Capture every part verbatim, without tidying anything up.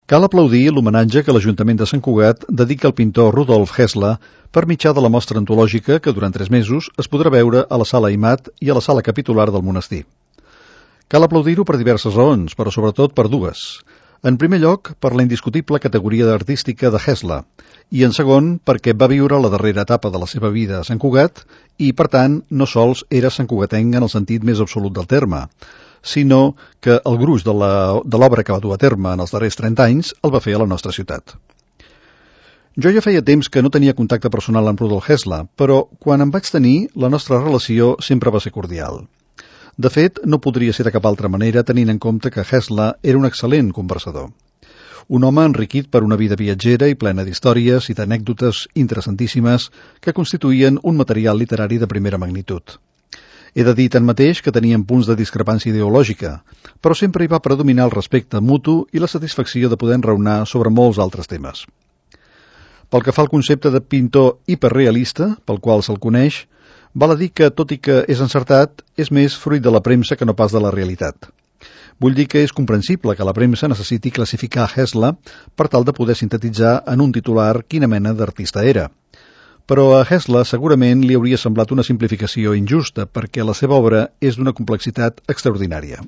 Cal aplaudir l'homenatge que l'Ajuntament de Sant Cugat dedica al pintor Rudolf Hessler per mitjà de la mostra antològica que durant tres mesos es podrà veure a la Sala Imat i a la Sala Capitular del monestir. Cal aplaudir-ho per diverses raons, però sobretot per dues. En primer lloc, per la indiscutible categoria artística de Hessler, i en segon, perquè va viure la darrera etapa de la seva vida a Sant Cugat i, per tant, no sols era santcugatenc en el sentit més absolut del terme, sinó que el gruix de l'obra que va dur a terme en els darrers trenta anys el va fer a la nostra ciutat. Jo ja feia temps que no tenia contacte personal amb Rudolf Hessler, però quan en vaig tenir, la nostra relació sempre va ser cordial. De fet, no podria ser de cap altra manera tenint en compte que Hessler era un excel·lent conversador. Un home enriquit per una vida viatgera i plena d'històries i d'anècdotes interessantíssimes que constituïen un material literari de primera magnitud. He de dir tanmateix que tenien punts de discrepància ideològica, però sempre hi va predominar el respecte mutu i la satisfacció de poder enraonar sobre molts altres temes. Pel que fa al concepte de pintor hiperrealista, pel qual se'l coneix, val a dir que, tot i que és encertat, és més fruit de la premsa que no pas de la realitat. Vull dir que és comprensible que la premsa necessiti classificar Hessler per tal de poder sintetitzar en un titular quina mena d'artista era. Però a Hessler segurament li hauria semblat una simplificació injusta perquè la seva obra és d'una complexitat extraordinària.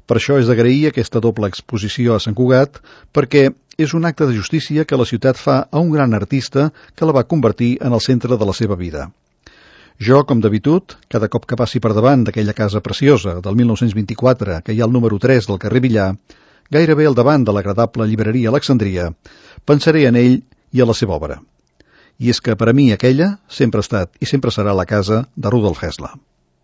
Per això és d'agrair aquesta doble exposició a Sant Cugat perquè és un acte de justícia que la ciutat fa a un gran artista que la va convertir en el centre de la seva vida. Jo, com d'habitud, cada cop que passi per davant d'aquella casa preciosa del mil nou-cents vint-i-quatre que hi ha al número tres del carrer Villar, gairebé al davant de l'agradable llibreria Alexandria, pensaré en ell i a la seva obra. I és que per a mi aquella sempre ha estat i sempre serà la casa de Rudolf Hessler.